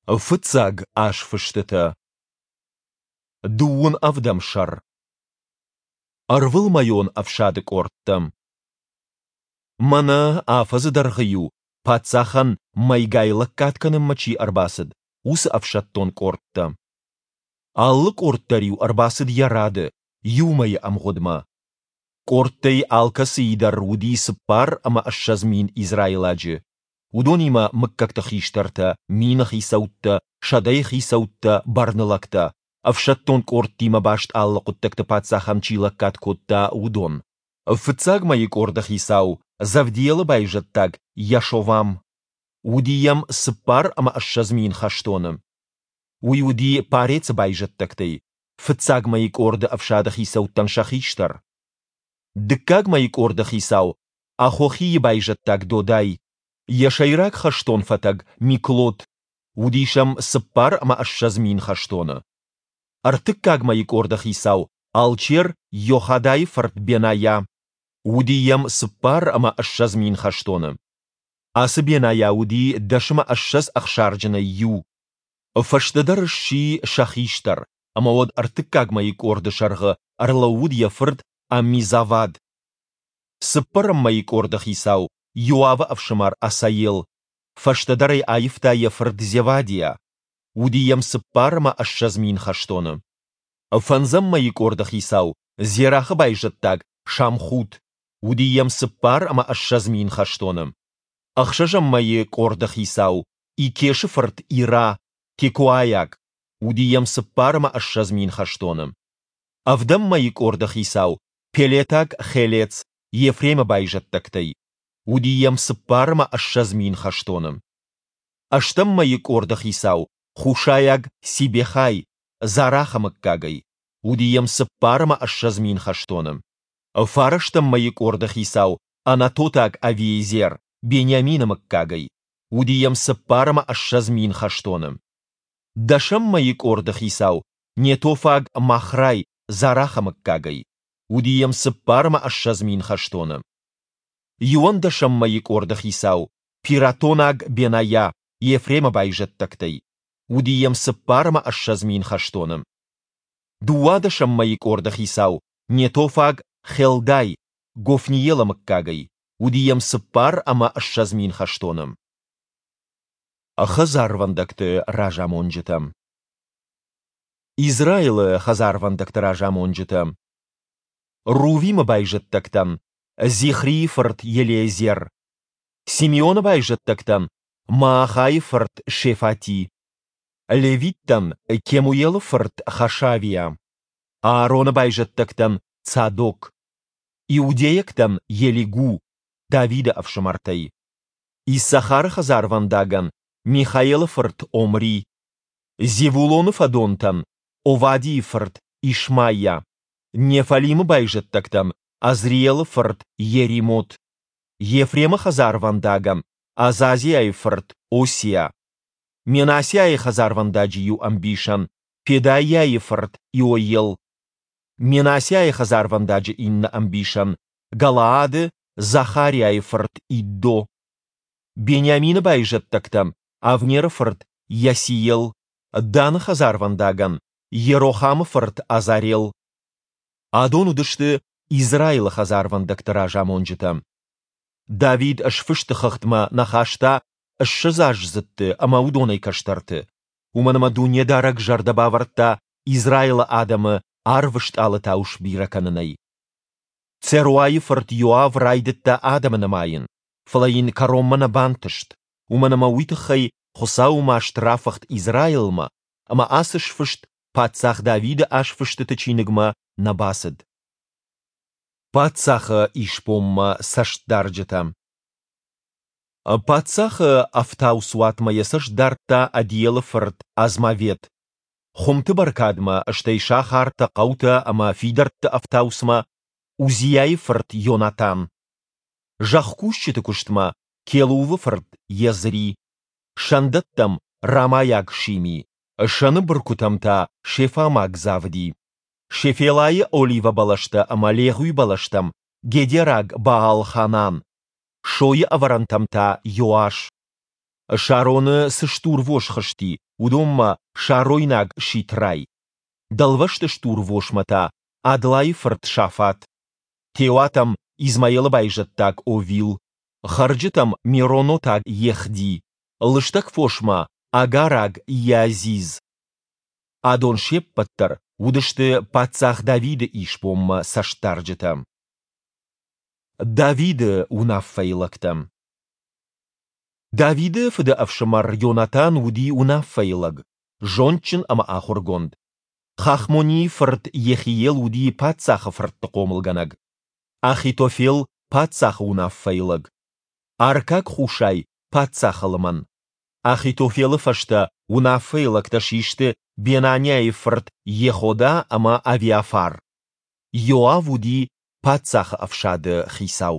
Фыццаг азфыстытӕ. Дыууын ӕвдӕм сӕр. Ӕрвылмӕйон ӕфсады къордтӕ. Мӕнӕ афӕдзы дӕргъы-иу паддзахӕн мӕйгай лӕггад кӕнынмӕ чи ӕрбацыд, уыцы ӕфсӕддон къордтӕ. Алы къорд дӕр-иу ӕрбацыд йӕ рады, иу мӕйы ӕмгъуыдмӕ. Къордтӕй алкӕцыйы дӕр уыди 24 000 израиладжы, уыдонимӕ мыггӕгты хистӕртӕ, мины хицӕуттӕ, сӕдӕйы хицӕуттӕ, бӕрнылӕгтӕ, ӕфсӕддон къордтимӕ баст алы хъуыддӕгты паддзахӕн чи лӕггад кодта, уыдон. Фыццаг мӕйы къорды хицау, Завдиелы байзӕддаг Йашовам. Уыди йӕм 24 000 хӕстоны. Уый уыди Парецы байзӕддӕгтӕй, фыццаг мӕйы къорды ӕфсады хицӕуттӕн сӕ хистӕр. Дыккаг мӕйы къорды хицау Ахохийы байзӕддаг Додай, йӕ сӕйраг хӕстон фӕтӕг Миклот, уыди сӕм 24 000 хӕстоны. Ӕртыккаг мӕйы къорды хицау алчер Йохадайы фырт Бенайа, уыди йӕм 24 000 хӕстоны. Ацы Бенайа уыди 20 ӕхсарджынӕй иу. Фӕстӕдӕр сси сӕ хистӕр, ӕмӕ уӕд ӕртыккаг мӕйы къорды сӕргъы ӕрлӕууыд йӕ фырт Аммизавад. Цыппӕрӕм мӕйы къорды хицау Иоавы ӕфсымӕр Асаел, фӕстӕдӕр ӕй аивта йӕ фырт Зевадиа. Уыди йӕм 24 000 хӕстоны. Фӕндзӕм мӕйы къорды хицау Зерахы байзӕддаг Шамхут, уыди йӕм 24 000 хӕстоны. Ӕхсӕзӕм мӕйы къорды хицау Икешы фырт Ира, текоайаг, уыди йӕм 24 000 хӕстоны. Ӕвдӕм мӕйы къорды хицау Пелетаг Хелец, Ефремы байзӕддӕгтӕй, уыди йӕм 24 000 хӕстоны. Ӕстӕм мӕйы къорды хицау хушайаг Сибехай, Зарахы мыггагӕй, уыди йӕм 24 000 хӕстоны. Фарӕстӕм мӕйы къорды хицау анатотаг Авиезер, Бениамины мыггагӕй, уыди йӕм 24 000 хӕстоны. Дӕсӕм мӕйы къорды хицау нетофаг Махрай, Зарахы мыггагӕй, уыди йӕм 24 000 хӕстоны. Иуӕндӕсӕм мӕйы къорды хицау пиратонаг Бенайа, Ефремы байзӕддӕгтӕй, уыди йӕм 24 000 хӕстоны. Дыууадӕсӕм мӕйы къорды хицау нетофаг Хелдай, Гофниелы мыггагӕй, уыди йӕм 24 000 хӕстоны. Хӕдзарвӕндӕгты разамонджытӕ. Израилы хӕдзарвӕндӕгты разамонджытӕ. Рувимы байзӕддӕгтӕн Зихрийы фырт Елиезер, Симеоны байзӕддӕгтӕн Маахайы фырт Шефати, левиттӕн Кемуелы фырт Хашавиа, Аароны байзӕддӕгтӕн Цадок, иудейӕгтӕн Елигу, Давиды ӕфсымӕртӕй, Иссахары хӕдзарвӕндагӕн Михаелы фырт Омри, Зевулоны фӕдонтӕн Овадийы фырт Ишмайа, Неффалимы байзӕддӕгтӕн Азриелы фырт Йеримот, Ефремы хӕдзарвӕндагӕн Азазиайы фырт Осиа, Менассиайы хӕдзарвӕндаджы иу ӕмбисӕн Педайӕйы фырт Иоел, Менассиайы хӕдзарвӕндаджы иннӕ ӕмбисӕн Галаады Захариайы фырт Иддо, Бениамины байзӕддӕгтӕн Авнеры фырт Иасиел, Даны хӕдзарвӕндагӕн Йерохамы фырт Азарел. Адон уыдысты Израилы хӕдзарвӕндӕгты разамонджытӕ. Давид сфысты хыгъдмӕ нӕ хаста ссӕдзаздзыдты ӕмӕ уыдонӕй кӕстӕрты, уымӕн ӕмӕ Дунедарӕг зӕрдӕ бавӕрдта Израилы адӕмы арвы стъалытау сбирӕ кӕнынӕй. Церуайы фырт Иоав райдыдта адӕмы нымайын, фӕлӕ йын кӕронмӕ нӕ бантыст, уымӕн ӕмӕ уый тыххӕй Хуыцауы маст рафыхт Израилмӕ, ӕмӕ ацы сфыст паддзах Давиды азфыстыты чиныгмӕ нӕ бацыд. Паддзахы исбонмӕ цӕстдарджытӕ. Паддзахы ӕфтауцуатмӕ йӕ цӕст дардта Адиелы фырт Азмавет. Хуымты бӕркадмӕ, стӕй сахартӕ, хъӕутӕ ӕмӕ фидӕртты ӕфтауцмӕ Узийайы фырт Йонатан. Зӕхкусджыты куыстмӕ Келувы фырт Езри. Сӕндӕттӕм рамайаг Шими, сӕны быркуытӕм та Шефамаг Завди. Шефелайы оливӕбӕлӕстӕ ӕмӕ легъуибӕлӕстӕм гедераг Баал-Ханан, сойы ӕвӕрӕнтӕм та Иоас. Шароны цы стурвос хызти, уыдонмӕ шаройнаг Ситрай. Дӕлвӕзты стурвосмӕ та Адлайы фырт Шафат. Теуатӕм Измаилы байзӕддаг Овил, хӕрджытӕм меронотаг Ехди, лыстӕг фосмӕ агараг Иазиз. Адон се ппӕт дӕр уыдысты паддзах Давиды исбонмӕ цӕстдарджытӕ. Давиды уынаффӕйы лӕгтӕ. Давиды фыды ӕфсымӕр Йонатан уыди уынаффӕйы лӕг, зондджын ӕмӕ ахуыргонд. Хахмонийы фырт Йехиел уыди паддзахы фыртты хъомылгӕнӕг. Ахитофел, паддзахы уынаффӕйы лӕг. Аркаг Хушай, паддзахы лымӕн. Ахитофелы фӕстӕ уынаффӕйы лӕгтӕ систы Бенанӕйы фырт Йехода ӕмӕ Авиафар. Иоав уыди паддзахы ӕфсады хицау.